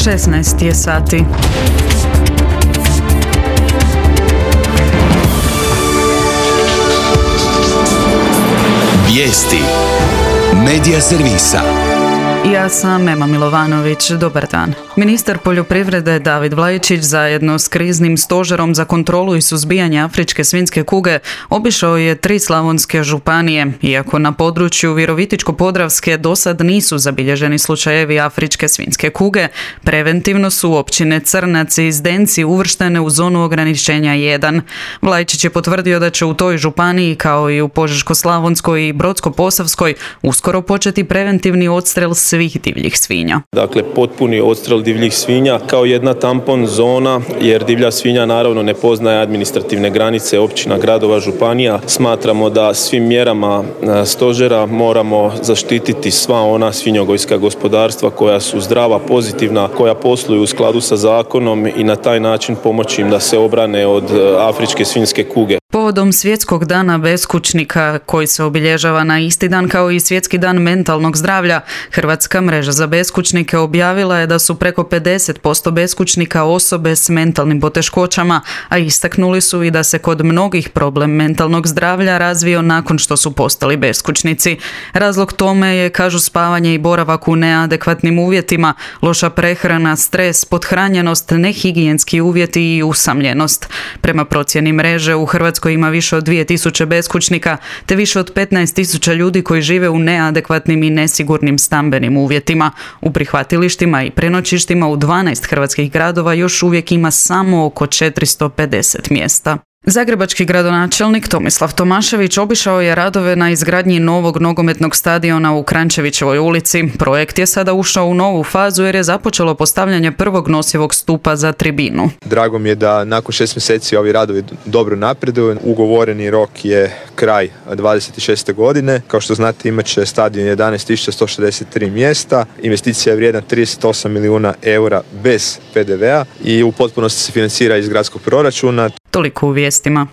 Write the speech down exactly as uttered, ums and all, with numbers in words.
šesnaest je sati. Vijesti Medija servisa. Ja sam Ema Milovanović, dobar dan. Ministar poljoprivrede David Vlaičić zajedno s kriznim stožerom za kontrolu i suzbijanje afričke svinjske kuge obišao je tri slavonske županije, iako na području Virovitičko-podravske dosad nisu zabilježeni slučajevi afričke svinjske kuge, preventivno su općine Crnac i Zdenci uvrštene u zonu ograničenja jedan. Vlaičić je potvrdio da će u toj županiji, kao i u Požeško-slavonskoj i Brodsko-posavskoj, uskoro početi preventivni odstrel svih divljih svinja. Dakle, potpuni odstrel divljih svinja kao jedna tampon zona, jer divlja svinja naravno ne poznaje administrativne granice općina, gradova, županija. Smatramo da svim mjerama stožera moramo zaštititi sva ona svinjogojska gospodarstva koja su zdrava, pozitivna, koja posluju u skladu sa zakonom i na taj način pomoći im da se obrane od afričke svinjske kuge. Povodom Svjetskog dana beskućnika, koji se obilježava na isti dan kao i Svjetski dan mentalnog zdravlja, Hrvatska mreža za beskućnike objavila je da su preko pedeset posto beskućnika osobe s mentalnim poteškoćama, a istaknuli su i da se kod mnogih problem mentalnog zdravlja razvio nakon što su postali beskućnici. Razlog tome je, kažu, spavanje i boravak u neadekvatnim uvjetima, loša prehrana, stres, pothranjenost, nehigijenski uvjeti i usamljenost. Prema procjeni mreže, u Hrvatskoj ima više od dvije tisuće beskućnika, te više od petnaest tisuća ljudi koji žive u neadekvatnim i nesigurnim stambenim uvjetima. U prihvatilištima i prenoćištima u dvanaest hrvatskih gradova još uvijek ima samo oko četiristo pedeset mjesta. Zagrebački gradonačelnik Tomislav Tomašević obišao je radove na izgradnji novog nogometnog stadiona u Kranjčevićevoj ulici. Projekt je sada ušao u novu fazu jer je započelo postavljanje prvog nosivog stupa za tribinu. Drago mi je da nakon šest mjeseci ovi radovi dobro napreduju. Ugovoreni rok je kraj dvadeset šeste godine. Kao što znate, imat će stadion jedanaest tisuća sto šezdeset tri mjesta. Investicija je vrijedna trideset osam milijuna eura bez pe de vea i u potpunosti se financira iz gradskog proračuna. Toliko u vijestima.